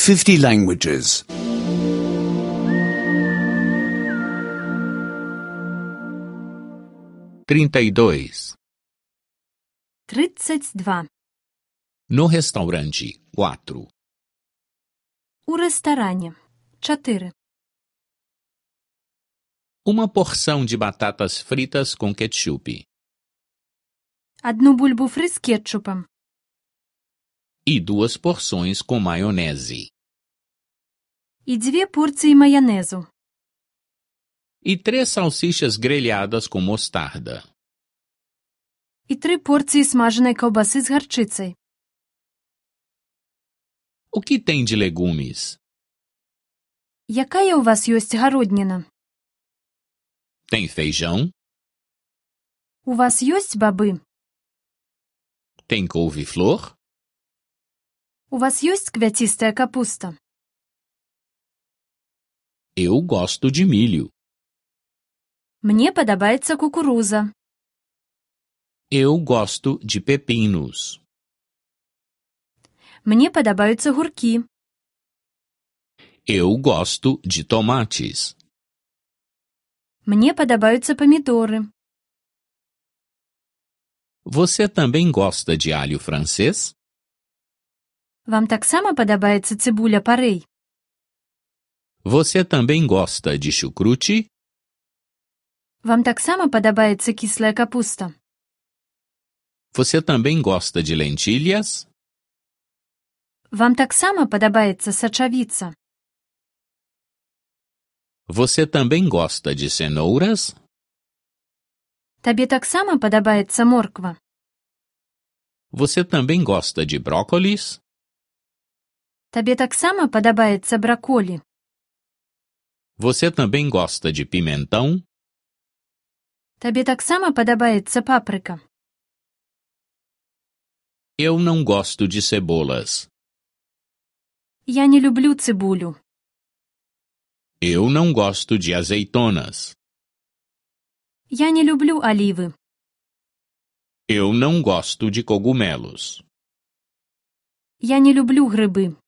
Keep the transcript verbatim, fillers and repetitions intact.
fifty languages. trinta e dois. Тридцать два. No restaurante, quatro. У рэстаране. Чатыры. Uma porção de batatas fritas com ketchup. Адну бульбу фры з кетчупам. E duas porções com maionese. І дзве порцыі маянэзу. E três salsichas grelhadas com mostarda. І тры порцыі смажанай каўбасы з гарчыцай. O que tem de legumes? Якая ў вас ёсць гародніна? Tem feijão? У вас ёсць бабы? Tem couve-flor? У вас ёсць квяцістая капуста? Eu gosto de milho. Мне падабаецца кукуруза. Eu gosto de pepinos. Мне падабаюцца гуркі. Eu gosto de tomates. Мне падабаюцца памідоры. Você também gosta de alho francês? Вам таксама падабаецца цыбуля парэй? Você também gosta de chucrute? Вам таксама падабаецца кіслая капуста? Você também gosta de lentilhas? Вам таксама падабаецца сачавіца? Você também gosta de cenouras? Табе таксама падабаецца морква? Você também gosta de brócolis? Табе таксама падабаецца браколі? Você também gosta de pimentão? Табе таксама падабаецца папрыка? Eu não gosto de cebolas. Я не люблю цыбулю. Eu não gosto de azeitonas. Я не люблю алівы. Eu não gosto de cogumelos. Я не люблю грыбы.